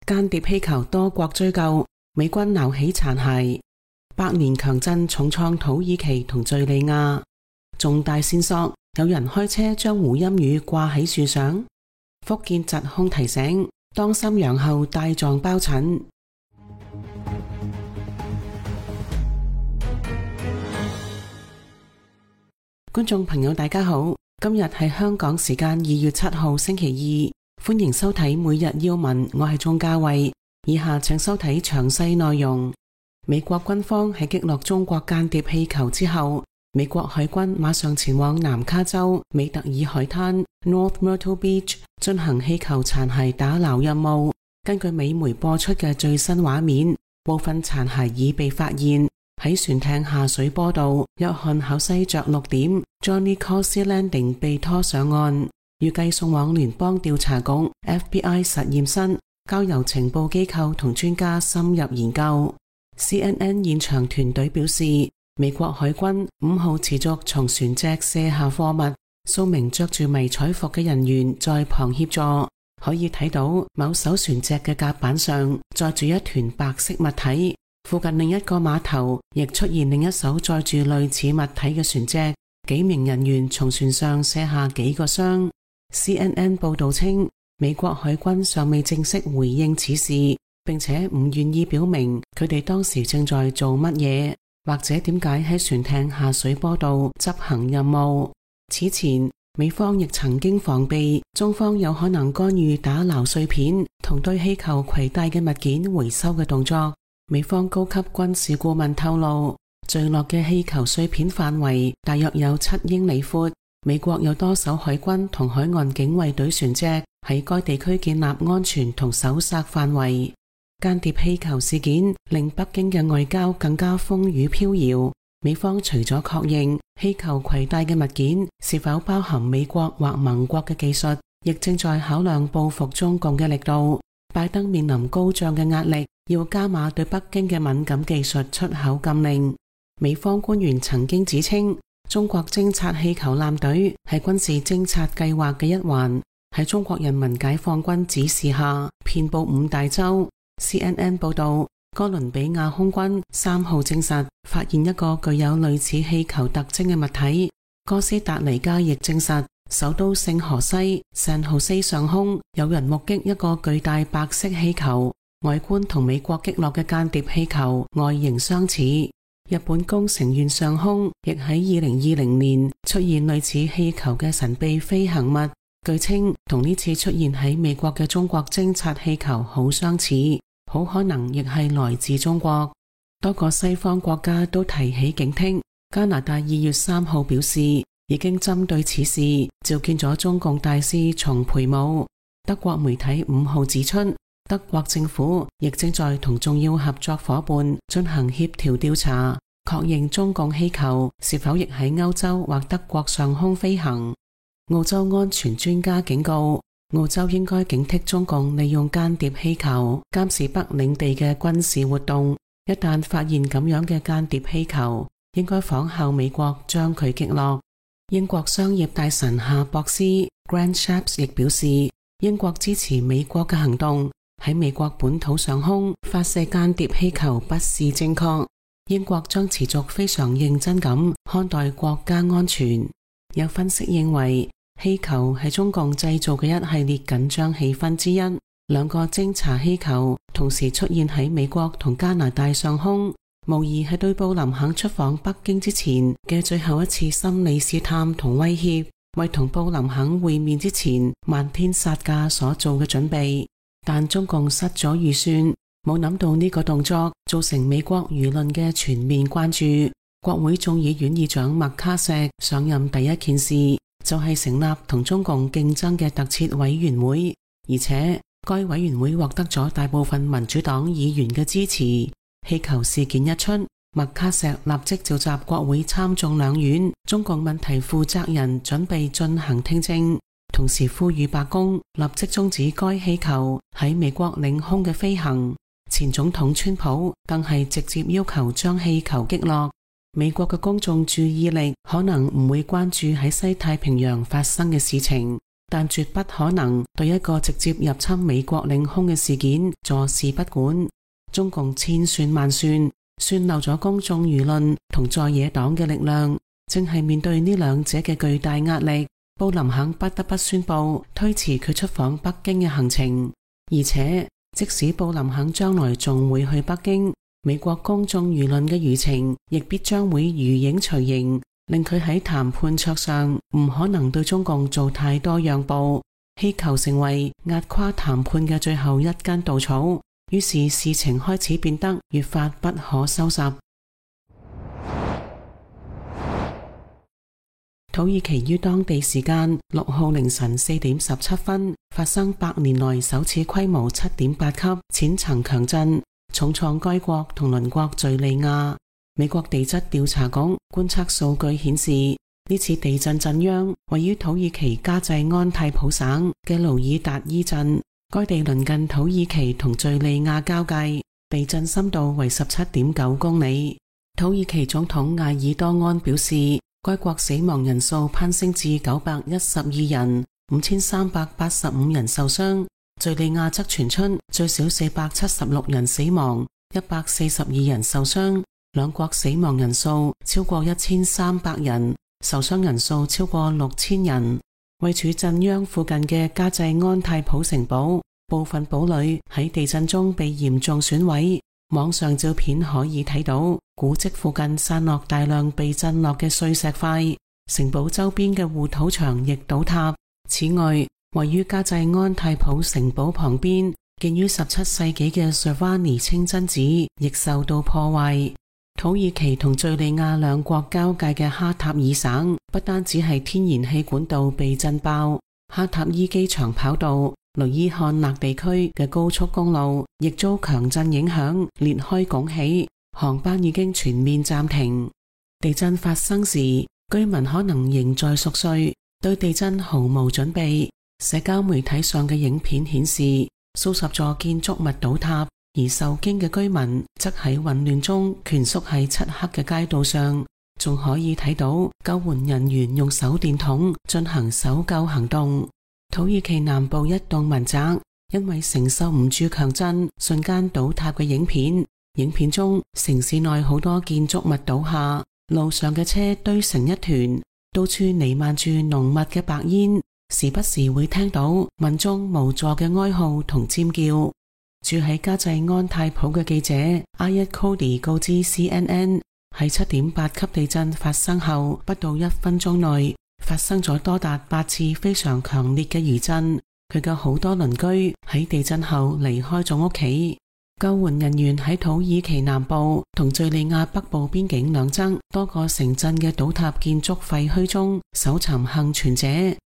間諜氣球多國追究，美軍撈起殘骸。百年強震重創土耳其同敘利亞。重大線索，有人開車將胡鑫宇掛喺樹上。福建疾控提醒，當心陽後帶狀疱疹。觀眾朋友大家好，今日係香港時間2月7號星期二，歡迎收睇每日要聞，我係鍾嘉慧。以下請收睇詳細內容。美國軍方喺擊落中國間諜氣球之後，美國海軍馬上前往南卡州美特爾海灘 North Myrtle Beach 進行氣球殘骸打撈任務。根據美媒播出嘅最新畫面，部分殘骸已被發現喺船艇下水坡道約翰考西着陸點 Johnny Causey Landing 被拖上岸，預計送往聯邦調查局 FBI 實驗室，交由情報機構同專家深入研究。CNN 現場團隊表示，美國海軍5號持續從船隻卸下貨物，數名着住迷彩服嘅人員在旁協助。可以睇到某艘船隻嘅甲板上載住一團白色物體，附近另一個碼頭亦出現另一艘載住類似物體嘅船隻，幾名人員從船上卸下幾個箱。CNN 報道稱，美國海軍尚未正式回應此事，並且唔願意表明佢哋當時正在做乜嘢，或者點解喺船艇下水坡度執行任務。此前，美方亦曾經防備中方有可能干預打撈碎片同對氣球攜帶嘅物件回收嘅動作。美方高級軍事顧問透露，墜落嘅氣球碎片範圍大約有7英里闊。美國有多艘海軍同海岸警衛隊船隻喺該地區建立安全同搜索範圍。間諜氣球事件令北京嘅外交更加風雨飄搖。美方除咗確認氣球攜帶嘅物件是否包含美國或盟國嘅技術，亦正在考量報復中共嘅力度。拜登面臨高漲嘅壓力，要加碼對北京嘅敏感技術出口禁令。美方官員曾經指稱，中國偵察氣球艦隊係軍事偵察計劃嘅一環，喺中國人民解放軍指示下遍佈5大洲。CNN 報道，哥倫比亞空軍3號證實發現一個具有類似氣球特徵嘅物體。哥斯達黎加亦證實，首都聖荷西 San Jose 上空有人目擊一個巨大白色氣球，外觀同美國擊落嘅間諜氣球外形相似。日本宮城縣上空亦喺2020年出現類似氣球嘅神秘飛行物，據稱同呢次出現喺美國嘅中國偵察氣球好相似，好可能亦係來自中國。多個西方國家都提起警惕。加拿大2月3號表示，已經針對此事召見咗中共大使叢培武。德國媒體5號指出，德國政府亦正在同重要合作夥伴進行協調調查，確認中共氣球是否亦喺歐洲或德國上空飛行。澳洲安全專家警告，澳洲應該警惕中共利用間諜氣球監視北領地嘅軍事活動。一旦發現咁樣嘅間諜氣球，應該仿效美國將佢擊落。英國商業大臣夏博斯 Grant Shapps 亦表示，英國支持美國嘅行動，喺美國本土上空發射間諜氣球不是正確。英國將持續非常認真咁看待國家安全。有分析認為，氣球係中共製造嘅一系列緊張氣氛之一。2個偵察氣球同時出現喺美國同加拿大上空，無疑係對布林肯出訪北京之前嘅最後一次心理試探同威脅，為同布林肯會面之前漫天殺價所做嘅準備。但中共失咗預算，冇諗到呢個動作造成美國輿論嘅全面關注。國會眾議院議長麥卡錫上任第一件事就係成立同中共競爭嘅特設委員會，而且該委員會獲得咗大部分民主黨議員嘅支持。氣球事件一出，麥卡錫立即召集國會參眾兩院中共問題負責人準備進行聽證，同時呼籲白宮立即終止該氣球喺美國領空嘅飛行。前總統川普更係直接要求將氣球擊落。美國嘅公眾注意力可能唔會關注喺西太平洋發生嘅事情，但絕不可能對一個直接入侵美國領空嘅事件坐視不管。中共千算萬算，算漏咗公眾輿論同在野黨嘅力量，正係面對呢兩者嘅巨大壓力，布林肯不得不宣布推遲佢出訪北京嘅行程。而且即使布林肯將來仲會去北京，美國公眾輿論嘅輿情亦必將會如影隨形，令佢喺談判桌上唔可能對中共做太多讓步，氣球成為壓垮談判嘅最後一根稻草。於是事情開始變得越發不可收拾。土耳其於當地時間6號凌晨4點17分發生100年來首次規模 7.8 級淺層強震，重創該國同鄰國敘利亞。美國地質調查局觀測數據顯示，呢次地震震央位於土耳其加濟安泰普省嘅盧爾達伊鎮，該地鄰近土耳其同敘利亞交界，地震深度為 17.9 公里。土耳其總統艾爾多安表示，該國死亡人數攀升至912人，5385人受傷。敘利亞則傳出最少476人死亡，142人受傷，兩國死亡人數超過1300人，受傷人數超過6000人。位處震央附近嘅加濟安泰普城堡，部分堡壘喺地震中被嚴重損毀。網上照片可以睇到古蹟附近散落大量被震落嘅碎石塊，城堡周邊嘅護土牆亦倒塌。此外，位於加濟安泰普城堡旁邊建於17世紀嘅 Sirvani 清真寺亦受到破壞。土耳其同敘利亞兩國交界嘅哈塔爾省不單只係天然氣管道被震爆，哈塔伊機場跑道、雷伊漢勒地區嘅高速公路亦遭強震影響，裂開拱起，航班已經全面暫停。地震發生時，居民可能仍在熟睡，對地震毫無準備。社交媒體上嘅影片顯示，數十座建築物倒塌，而受驚嘅居民則喺混亂中蜷縮喺漆黑嘅街道上，仲可以睇到救援人員用手電筒進行搜救行動。土耳其南部一棟民宅因為承受唔住強震，瞬間倒塌嘅影片中，城市內好多建築物倒下，路上嘅車堆成一團，到處彌漫住濃密嘅白煙，時不時會聽到民眾無助嘅哀號同尖叫。住喺加濟安泰普嘅記者阿一 Cody 告知 CNN， 喺 7.8 級地震發生後不到1分鐘內發生咗多達8次非常強烈嘅餘震。佢嘅好多鄰居喺地震後離開咗屋企。救援人員喺土耳其南部同敘利亞北部邊境兩側多個城鎮嘅倒塌建築廢墟中搜尋幸存者，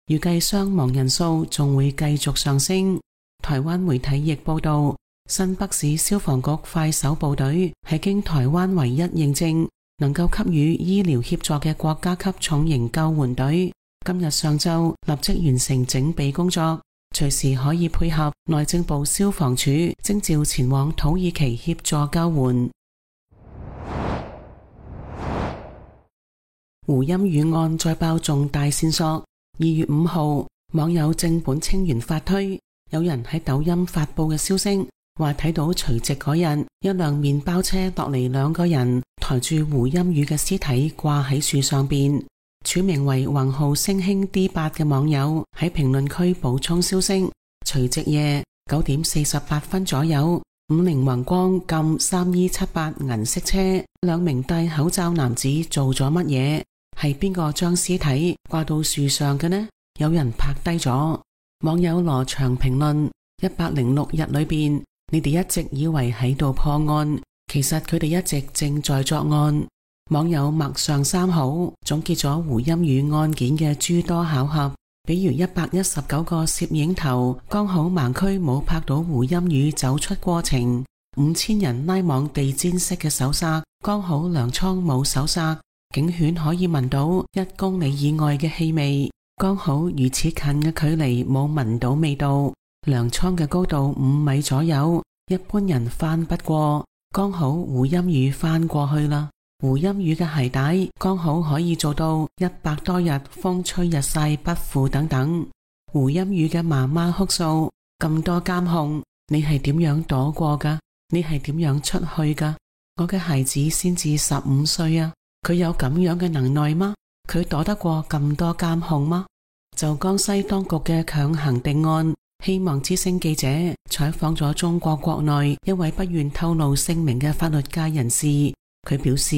預計傷亡人數仲會繼續上升。台灣媒體亦報道，新北市消防局快手部隊係經台灣唯一認證能夠給予醫療協助嘅國家級重型救援隊，今日上晝立即完成整備工作，隨時可以配合內政部消防處徵召前往土耳其協助救援。胡鑫宇案再爆重大線索。2月5號，網友正本清源發推，有人喺抖音發布嘅消息，話睇到除夕嗰日，一輛麵包車落嚟2個人，抬住胡鑫宇嘅屍體掛喺樹上邊。署名為宏浩星興 D8 嘅網友喺評論區補充消息：除夕夜9點48分左右，50宏光禁3278銀色車，2名戴口罩男子做咗乜嘢？係邊個將屍體掛到樹上嘅呢？有人拍低咗。網友羅翔評論：106日裏邊，你哋一直以為喺度破案，其實佢哋一直正在作案。網友麥上3號總結咗胡鑫宇案件嘅諸多巧合，比如119個攝影頭剛好盲區冇拍到胡鑫宇走出過程，5000人拉網地氈式嘅搜殺剛好糧倉冇搜殺，警犬可以聞到1公里以外嘅氣味，剛好如此近嘅距離冇聞到味道，糧倉嘅高度5米左右，一般人翻不過，剛好胡鑫宇翻過去啦。胡鑫宇嘅鞋帶剛好可以做到100多日風吹日曬不腐等等。胡鑫宇嘅媽媽哭訴，咁多監控，你係點樣躲過㗎？你係點樣出去㗎？我嘅孩子先至15歲啊，佢有咁樣嘅能耐嗎？佢躲得過咁多監控嗎？就江西當局嘅強行定案，希望之聲記者採訪咗中國國內一位不願透露姓名嘅法律界人士，佢表示，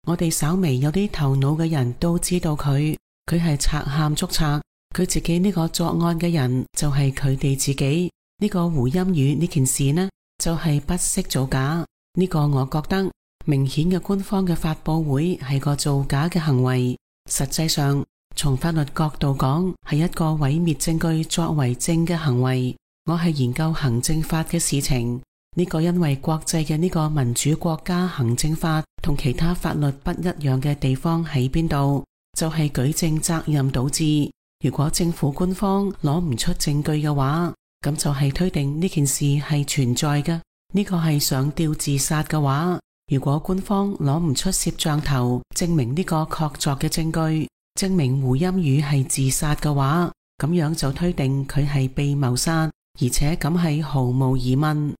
我哋稍微有啲頭腦嘅人都知道佢係賊喊捉賊，佢自己呢個作案嘅人就係佢哋自己，呢個胡鑫宇呢件事呢就係不惜造假，呢個我覺得明顯嘅官方嘅發佈會係個造假嘅行為，實際上從法律角度講係一個毀滅證據作為證嘅行為。我係研究行政法嘅事情，呢個因為國際嘅呢個民主國家行政法同其他法律不一樣嘅地方喺邊度，就係舉證責任導致。如果政府官方攞唔出證據嘅話，咁就係推定呢件事係存在嘅。呢個係上吊自殺嘅話，如果官方攞唔出攝像頭證明呢個確鑿嘅證據，證明胡鑫宇係自殺嘅話，咁樣就推定佢係被謀殺，而且咁係毫無疑問。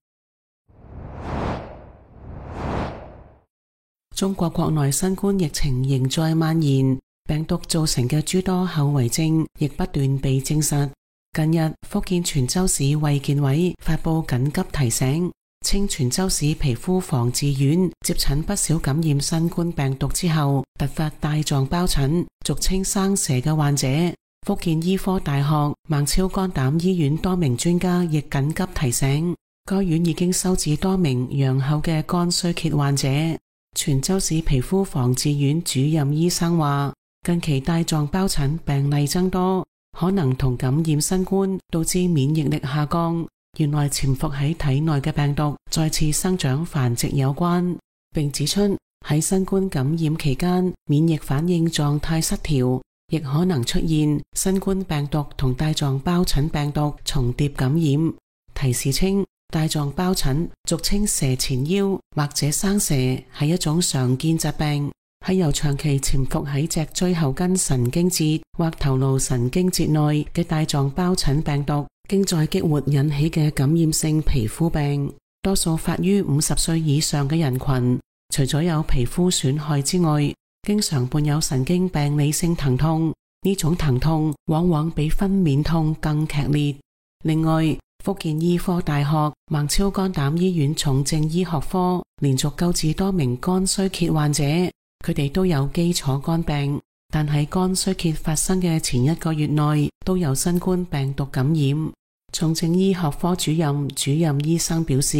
中國國內新冠疫情仍在蔓延，病毒造成嘅諸多後遺症亦不斷被證實。近日，福建泉州市衛健委發布緊急提醒，稱泉州市皮膚防治院接診不少感染新冠病毒之後突發帶狀疱疹，俗稱生蛇嘅患者。福建醫科大學孟超肝膽醫院多名專家亦緊急提醒，該院已經收治多名陽後嘅肝衰竭患者。泉州市皮膚防治院主任醫生話，近期帶狀疱疹病例增多，可能同感染新冠導致免疫力下降，原來潛伏喺體內嘅病毒再次生長繁殖有關，並指出喺新冠感染期間免疫反應狀態失調，亦可能出現新冠病毒同帶狀疱疹病毒重疊感染。提示稱，帶狀疱疹俗稱蛇前腰或者生蛇，係一種常見疾病，係由長期潛伏喺脊椎後根神經節或頭顱神經節內嘅帶狀疱疹病毒經再激活引起嘅感染性皮膚病，多數發於50歲以上嘅人群。除咗有皮膚損害之外，經常伴有神經病理性疼痛，呢種疼痛往往比分娩痛更劇烈。另外，福建醫科大學孟超肝膽醫院重症醫學科連續救治多名肝衰竭患者，佢哋都有基礎肝病，但喺肝衰竭發生嘅前1個月內都有新冠病毒感染。重症醫學科主任醫生表示，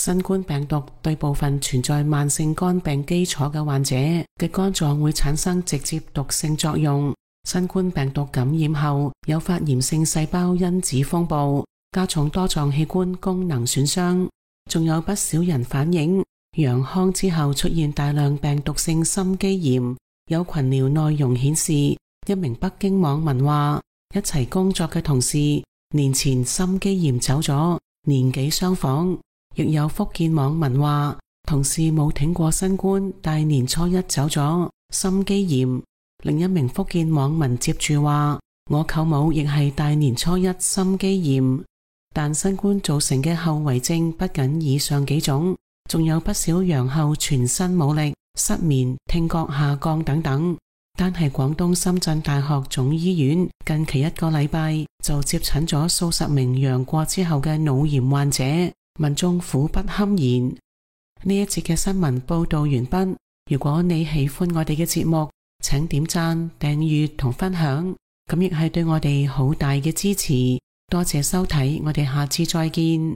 新冠病毒對部分存在慢性肝病基礎嘅患者嘅肝臟會產生直接毒性作用。新冠病毒感染後誘發炎性細胞因子風暴，加重多臟器官功能損傷。仲有不少人反映陽康之後出現大量病毒性心肌炎。有群聊內容顯示，一名北京網民話，一齊工作嘅同事年前心肌炎走咗，年紀相仿。亦有福建網民話，同事冇挺過新冠，但年初一走咗，心肌炎。另一名福建網民接住話，我舅母亦係大年初一心肌炎。但新冠造成嘅後遺症不僅以上幾種，仲有不少陽後全身冇力、失眠、聽覺下降等等。單係廣東深圳大學總醫院近期1個禮拜就接診咗數十名陽過之後嘅腦炎患者，民眾苦不堪言。呢一節嘅新聞報道完畢。如果你喜歡我哋嘅節目，請點讚、訂閱同分享，咁亦係對我哋好大嘅支持。多謝收睇，我哋下次再見。